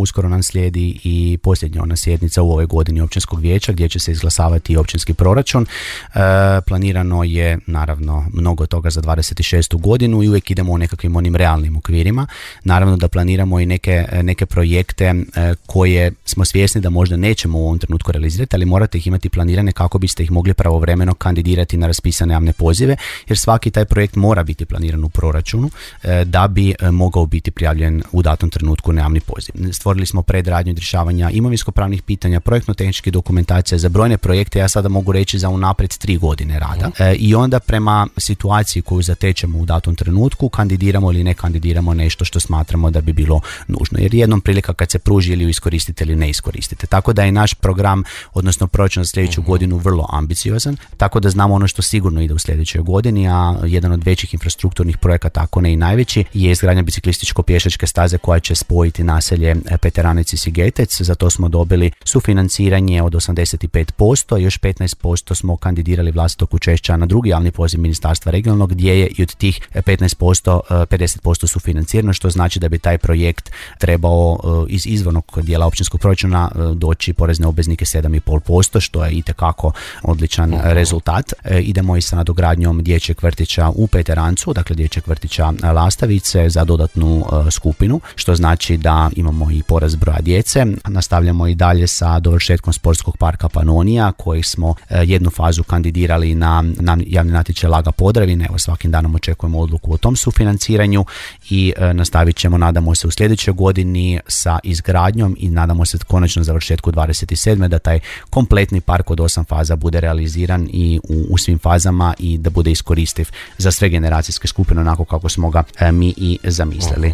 uskoro nam slijedi i posljednja ona sjednica u ovoj godini općinskog vijeća gdje će se izglasavati općinski proračun. Planirano je naravno mnogo toga za 26. godinu i uvijek idemo u nekakvim onim realnim okvirima. Naravno da planiramo i neke projekte koje smo svjesni da možda nećemo u ovom trenutku realizirati, ali morate ih imati planirane kako biste ih mogli pravovremeno kandidirati na raspisane javne pozive, jer svaki taj projekt mora biti planiran u proračunu da bi mogao biti prijavljen u datom trenutku na javni poziv. Stvorili smo predradnju od rješavanja imovinsko-pravnih pitanja, projektno-tehničke dokumentacije za brojne projekte, ja sada mogu reći za unaprijed 3 godine rada. I onda prema situaciji koju zatečemo u datom trenutku kandidiramo ili ne kandidiramo nešto što smatramo da bi bilo nužno. Jer jednom prilika kad se pruži ili ju iskoristite ili ne iskoristite. Tako da je naš program, odnosno proračun za sljedeću godinu vrlo ambiciozan, tako da znamo ono što sigurno ide u sljedećoj godini, a jedan od većih infrastrukturnih projekata, ako ne i najveći, je izgradnja biciklističko-pješačke staze koja će spojiti naselje Peteranec i Sigetec. Za to smo dobili sufinanciranje od 85%, još 15% smo kandidirali vlastitog učešća na drugi javni poziv Ministarstva regionalnog, gdje je i od tih 15% 50% sufinancirano, što znači da bi taj projekt trebao iz izvornog dijela općinskog proračuna doći porezne obveznike 7,5%, što je itekako odličan rezultat. Idemo i sa nadogradnjom dječjeg vrtića u Peterancu, dakle dječjeg vrtića Lastavice za dodatnu skupinu, što znači da imamo i porast broja djece. Nastavljamo i dalje sa dovršetkom sportskog parka Panonija, koji smo jednu fazu kandidirali na javni natječaj Laga Podravine. Evo, svakim danom očekujemo odluku o tom sufinanciranju i nastavit ćemo, nadamo se, u sljedećoj godini sa izgradnjom i nadamo se konačno završetku 27. da taj kompletni park od 8 faza bude realiziran i u svim fazama i da bude iskoristiv za sve generacijske skupine onako kako smo ga mi i zamislili.